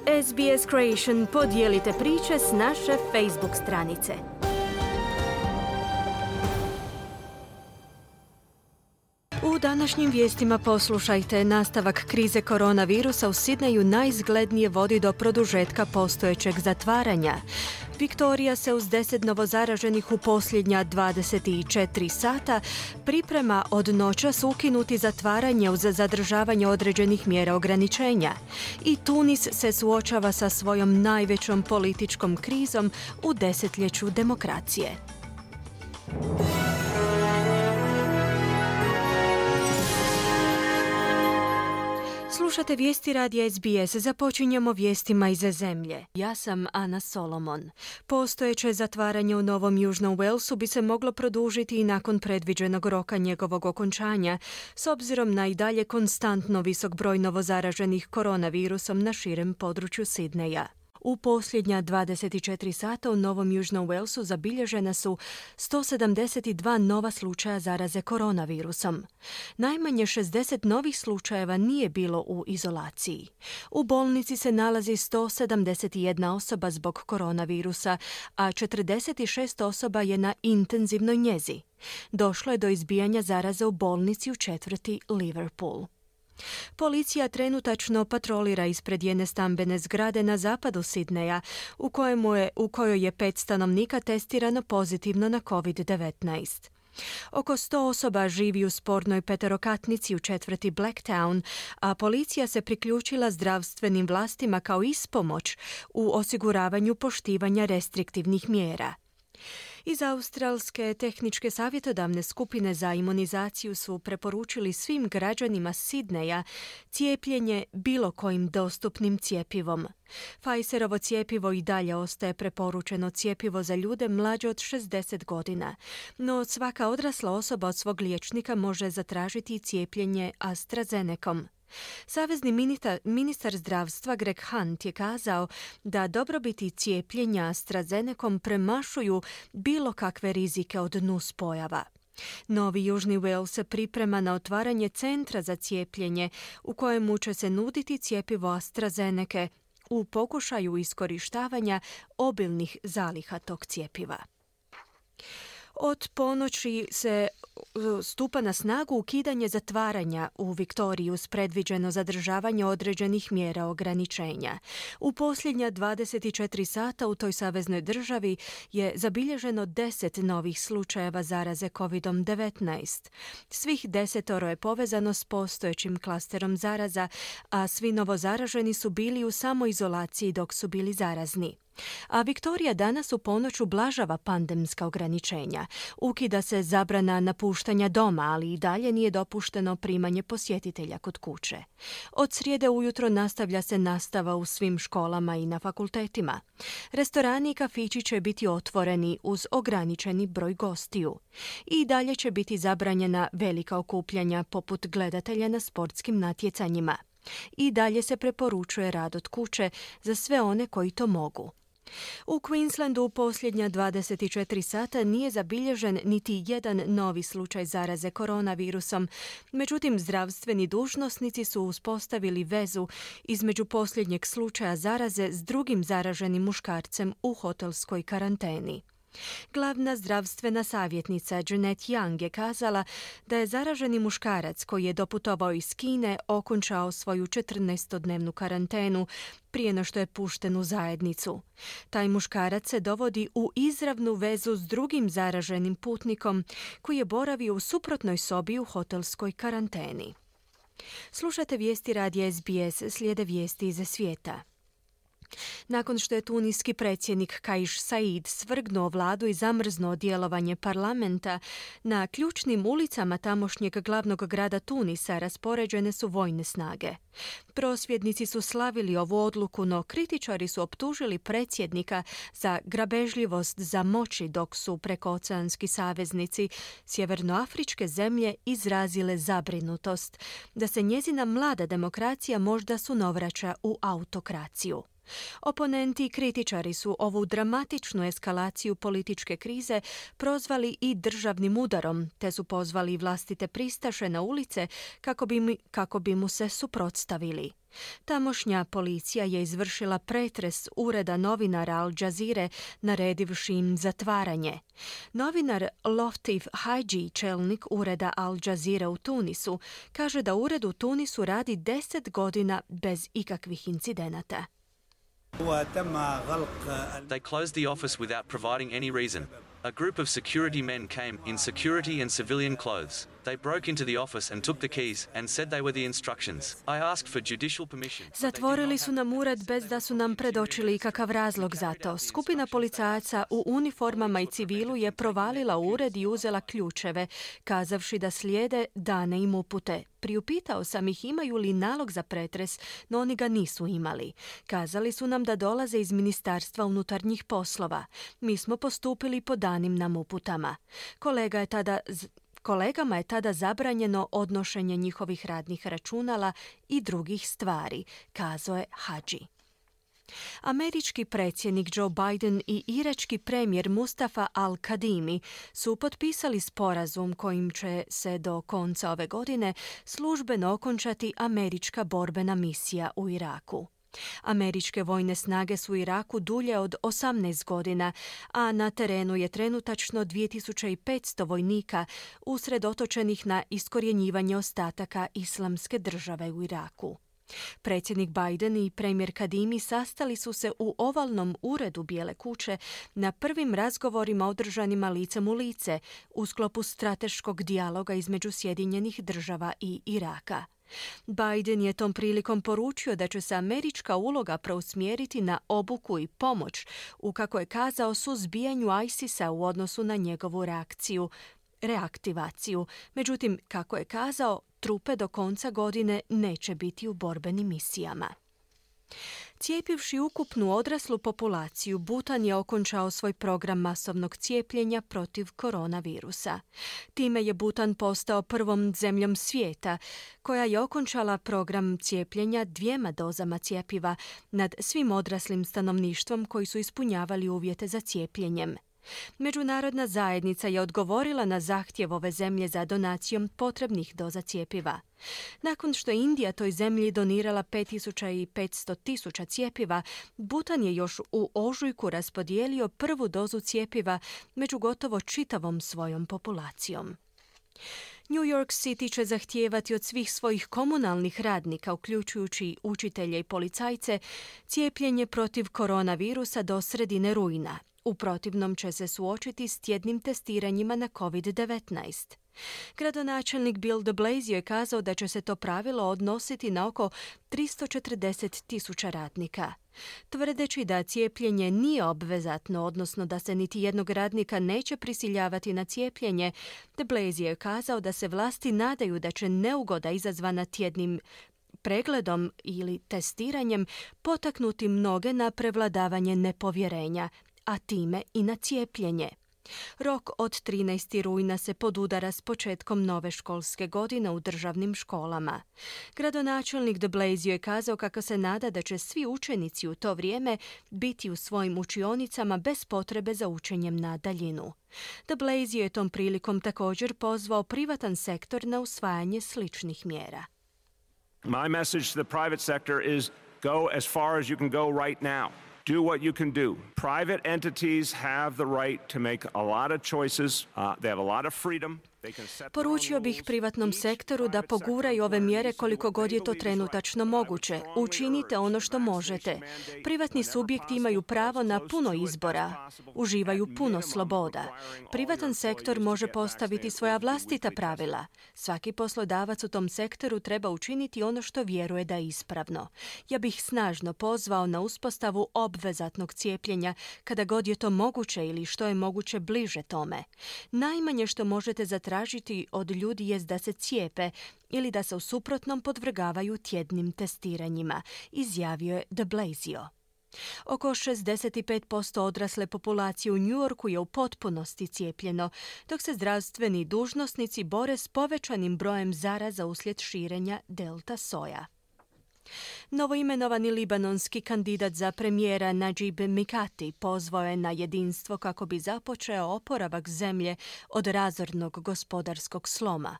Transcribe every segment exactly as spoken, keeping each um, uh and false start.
S B S Creation podijelite priče s naše Facebook stranice. U današnjim vijestima poslušajte: nastavak krize koronavirusa u Sidneju najizglednije vodi do produžetka postojećeg zatvaranja. Viktorija se uz deset novozaraženih u posljednja dvadeset četiri sata priprema od noćas ukinuti zatvaranje uz zadržavanje određenih mjera ograničenja. I Tunis se suočava sa svojom najvećom političkom krizom u desetljeću demokracije. Slušate vijesti radija S B S. Započinjemo vijestima iz zemlje. Ja sam Ana Solomon. Postojeće zatvaranje u Novom Južnom Walesu bi se moglo produžiti i nakon predviđenog roka njegovog okončanja, s obzirom na i dalje konstantno visok broj novozaraženih koronavirusom na širem području Sidneja. U posljednja dvadeset četiri sata u Novom Južnom Walesu zabilježena su sto sedamdeset dva nova slučaja zaraze koronavirusom. Najmanje šezdeset novih slučajeva nije bilo u izolaciji. U bolnici se nalazi sto sedamdeset jedna osoba zbog koronavirusa, a četrdeset šest osoba je na intenzivnoj njezi. Došlo je do izbijanja zaraze u bolnici u četvrti Liverpool. Policija trenutačno patrolira ispred jedne stambene zgrade na zapadu Sidneja, u, kojemu je, u kojoj je pet stanovnika testirano pozitivno na covid devetnaest. Oko sto osoba živi u spornoj peterokatnici u četvrti Blacktown, a policija se priključila zdravstvenim vlastima kao ispomoć u osiguravanju poštivanja restriktivnih mjera. Iz Australske tehničke savjetodavne skupine za imunizaciju su preporučili svim građanima Sidneja cijepljenje bilo kojim dostupnim cjepivom. Pfizerovo cjepivo i dalje ostaje preporučeno cjepivo za ljude mlađe od šezdeset godina, no svaka odrasla osoba od svog liječnika može zatražiti cijepljenje AstraZenecom. Savezni ministar, ministar zdravstva Greg Hunt je kazao da dobrobiti cijepljenja AstraZenecom premašuju bilo kakve rizike od nuspojava. Novi Južni Wales se priprema na otvaranje centra za cijepljenje u kojemu će se nuditi cjepivo AstraZenece u pokušaju iskorištavanja obilnih zaliha tog cjepiva. Od ponoći se stupa na snagu ukidanje zatvaranja u Viktoriji uz predviđeno zadržavanje određenih mjera ograničenja. U posljednja dvadeset četiri sata u toj saveznoj državi je zabilježeno deset novih slučajeva zaraze covid devetnaest. Svih desetoro je povezano s postojećim klasterom zaraza, a svi novozaraženi su bili u samoizolaciji dok su bili zarazni. A Viktorija danas u ponoć ublažava pandemska ograničenja. Ukida se zabrana napuštanja doma, ali i dalje nije dopušteno primanje posjetitelja kod kuće. Od srijede ujutro nastavlja se nastava u svim školama i na fakultetima. Restorani i kafići će biti otvoreni uz ograničeni broj gostiju. I dalje će biti zabranjena velika okupljanja poput gledatelja na sportskim natjecanjima. I dalje se preporučuje rad od kuće za sve one koji to mogu. U Queenslandu u posljednja dvadeset četiri sata nije zabilježen niti jedan novi slučaj zaraze koronavirusom, međutim zdravstveni dužnosnici su uspostavili vezu između posljednjeg slučaja zaraze s drugim zaraženim muškarcem u hotelskoj karanteni. Glavna zdravstvena savjetnica Jeanette Young je kazala da je zaraženi muškarac koji je doputovao iz Kine okončao svoju četrnaestodnevnu karantenu prije no što je pušten u zajednicu. Taj muškarac se dovodi u izravnu vezu s drugim zaraženim putnikom koji je boravio u suprotnoj sobi u hotelskoj karanteni. Slušate vijesti radija S B S, slijede vijesti iz svijeta. Nakon što je tuniski predsjednik Kais Saied svrgnuo vladu i zamrznuo djelovanje parlamenta, na ključnim ulicama tamošnjeg glavnog grada Tunisa raspoređene su vojne snage. Prosvjednici su slavili ovu odluku, no kritičari su optužili predsjednika za grabežljivost za moći, dok su prekooceanski saveznici sjevernoafričke zemlje izrazile zabrinutost da se njezina mlada demokracija možda sunovraća u autokraciju. Oponenti i kritičari su ovu dramatičnu eskalaciju političke krize prozvali i državnim udarom, te su pozvali vlastite pristaše na ulice kako bi, mi, kako bi mu se suprotstavili. Tamošnja policija je izvršila pretres ureda novinara Al Jazeere, naredivši im zatvaranje. Novinar Loftif Hadži, čelnik ureda Al Jazeera u Tunisu, kaže da ured u Tunisu radi deset godina bez ikakvih incidenata. They closed the office without providing any reason. A group of security men came in security and civilian clothes. They broke into the office and took the keys and said they were the instructions. I asked for judicial permission. Zatvorili su nam ured bez da su nam predočili ikakav razlog za to. Skupina policajaca u uniformama i civilu je provalila u ured i uzela ključeve, kazavši da slijede dane im upute. Priupitao sam ih imaju li nalog za pretres, no oni ga nisu imali. Kazali su nam da dolaze iz Ministarstva unutarnjih poslova. Mi smo postupili po danim nam uputama. Kolega je tada... Kolegama je tada zabranjeno odnošenje njihovih radnih računala i drugih stvari, kazao je Hadži. Američki predsjednik Joe Biden i irački premijer Mustafa al-Kadhimi su potpisali sporazum kojim će se do konca ove godine službeno okončati američka borbena misija u Iraku. Američke vojne snage su u Iraku dulje od osamnaest godina, a na terenu je trenutačno dvije tisuće petsto vojnika usredotočenih na iskorjenjivanje ostataka Islamske države u Iraku. Predsjednik Biden i premijer Kadhimi sastali su se u ovalnom uredu Bijele kuće na prvim razgovorima održanima licem u lice u sklopu strateškog dijaloga između Sjedinjenih država i Iraka. Biden je tom prilikom poručio da će se američka uloga preusmjeriti na obuku i pomoć u, kako je kazao, suzbijanju ISIS-a u odnosu na njegovu reakciju, reaktivaciju. Međutim, kako je kazao, trupe do konca godine neće biti u borbenim misijama. Cijepivši ukupnu odraslu populaciju, Butan je okončao svoj program masovnog cijepljenja protiv koronavirusa. Time je Butan postao prvom zemljom svijeta koja je okončala program cijepljenja dvijema dozama cjepiva nad svim odraslim stanovništvom koji su ispunjavali uvjete za cijepljenjem. Međunarodna zajednica je odgovorila na zahtjev ove zemlje za donacijom potrebnih doza cjepiva. Nakon što je Indija toj zemlji donirala pet tisuća petsto tisuća cjepiva, Butan je još u ožujku raspodijelio prvu dozu cjepiva među gotovo čitavom svojom populacijom. New York City će zahtijevati od svih svojih komunalnih radnika, uključujući učitelje i policajce, cijepljenje protiv koronavirusa do sredine rujna. U protivnom će se suočiti s tjednim testiranjima na kovid devetnaest. Gradonačelnik Bill de Blasio je kazao da će se to pravilo odnositi na oko tristo četrdeset tisuća radnika. Tvrdeći da cijepljenje nije obvezatno, odnosno da se niti jednog radnika neće prisiljavati na cijepljenje, de Blasio je kazao da se vlasti nadaju da će neugoda izazvana tjednim pregledom ili testiranjem potaknuti mnoge na prevladavanje nepovjerenja, a time i na cijepljenje. Rok od trinaestog rujna se podudara s početkom nove školske godine u državnim školama. Gradonačelnik de Blasio je kazao kako se nada da će svi učenici u to vrijeme biti u svojim učionicama bez potrebe za učenjem na daljinu. De Blasio je tom prilikom također pozvao privatan sektor na usvajanje sličnih mjera. My message to the private sector is go as far as you can go right now. Do what you can do. Private entities have the right to make a lot of choices. Uh, they have a lot of freedom. Poručio bih privatnom sektoru da poguraju ove mjere koliko god je to trenutačno moguće. Učinite ono što možete. Privatni subjekti imaju pravo na puno izbora. Uživaju puno sloboda. Privatan sektor može postaviti svoja vlastita pravila. Svaki poslodavac u tom sektoru treba učiniti ono što vjeruje da je ispravno. Ja bih snažno pozvao na uspostavu obvezatnog cijepljenja kada god je to moguće ili što je moguće bliže tome. Najmanje što možete zatražiti tražiti od ljudi jest da se cijepe ili da se u suprotnom podvrgavaju tjednim testiranjima, izjavio je de Blasio. Oko šezdeset pet posto odrasle populacije u New Yorku je u potpunosti cijepljeno, dok se zdravstveni dužnosnici bore s povećanim brojem zaraza uslijed širenja delta soja. Novoimenovani libanonski kandidat za premijera Najib Mikati pozvao je na jedinstvo kako bi započeo oporavak zemlje od razornog gospodarskog sloma.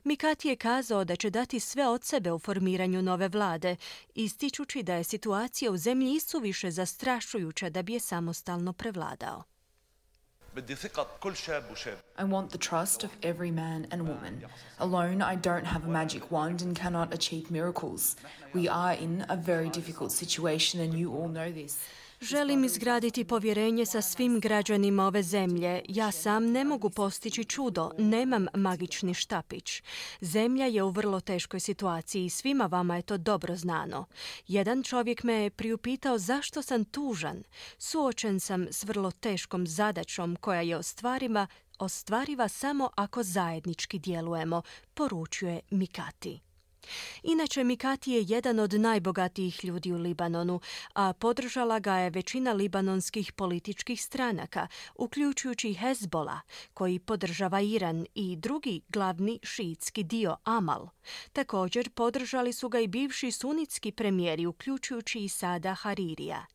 Mikati je kazao da će dati sve od sebe u formiranju nove vlade, ističući da je situacija u zemlji isuviše zastrašujuća da bi je samostalno prevladao. I want the trust of every man and woman. Alone, I don't have a magic wand and cannot achieve miracles. We are in a very difficult situation and you all know this. Želim izgraditi povjerenje sa svim građanima ove zemlje. Ja sam ne mogu postići čudo, nemam magični štapić. Zemlja je u vrlo teškoj situaciji i svima vama je to dobro znano. Jedan čovjek me je priupitao zašto sam tužan. Suočen sam s vrlo teškom zadaćom koja je ostvariva, ostvariva samo ako zajednički djelujemo, poručuje Mikati. Inače, Mikati je jedan od najbogatijih ljudi u Libanonu, a podržala ga je većina libanonskih političkih stranaka, uključujući Hezbola, koji podržava Iran, i drugi glavni šiitski dio Amal. Također podržali su ga i bivši sunitski premijeri, uključujući i Sada Haririja.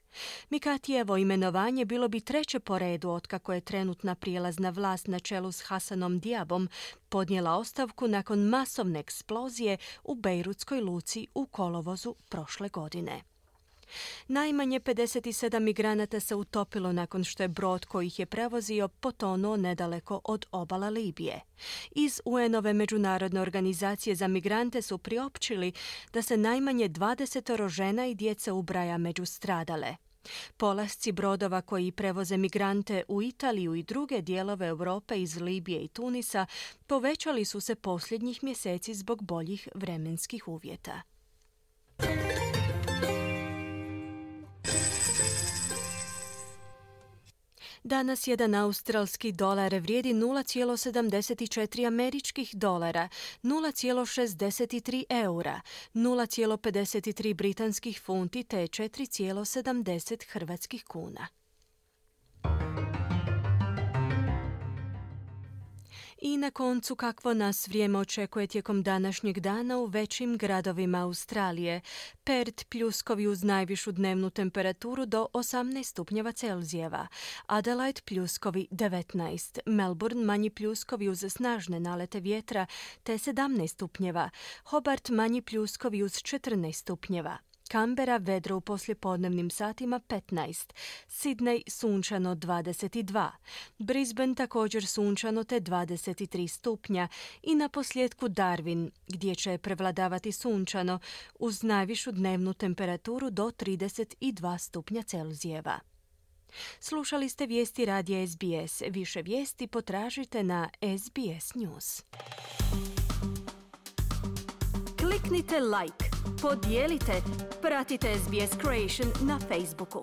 Mikatijevo imenovanje bilo bi treće po redu otkako je trenutna prijelazna vlast na čelu s Hasanom Diabom podnijela ostavku nakon masovne eksplozije u bejrutskoj luci u kolovozu prošle godine. Najmanje pedeset sedam migranata se utopilo nakon što je brod koji ih je prevozio potonuo nedaleko od obala Libije. Iz U N-ove međunarodne organizacije za migrante su priopćili da se najmanje dvadeset žena i djece ubraja među stradale. Polasci brodova koji prevoze migrante u Italiju i druge dijelove Europe iz Libije i Tunisa povećali su se posljednjih mjeseci zbog boljih vremenskih uvjeta. Danas jedan australski dolar vrijedi nula zarez sedamdeset četiri američkih dolara, nula zarez šezdeset tri eura, nula zarez pedeset tri britanskih funti te četiri zarez sedamdeset hrvatskih kuna. I na koncu, kakvo nas vrijeme očekuje tijekom današnjeg dana u većim gradovima Australije. Perth pljuskovi uz najvišu dnevnu temperaturu do osamnaest stupnjeva Celzijeva, Adelaide pljuskovi devetnaest, Melbourne manji pljuskovi uz snažne nalete vjetra te sedamnaest stupnjeva, Hobart manji pljuskovi uz četrnaest stupnjeva, Canberra vedro u poslijepodnevnim satima petnaest, Sydney sunčano dvadeset dva, Brisbane također sunčano te dvadeset tri stupnja i na posljedku Darwin gdje će prevladavati sunčano uz najvišu dnevnu temperaturu do trideset dva stupnja Celzijeva. Slušali ste vijesti radija S B S. Više vijesti potražite na S B S News. Kliknite like, podijelite, pratite S B S Creation na Facebooku.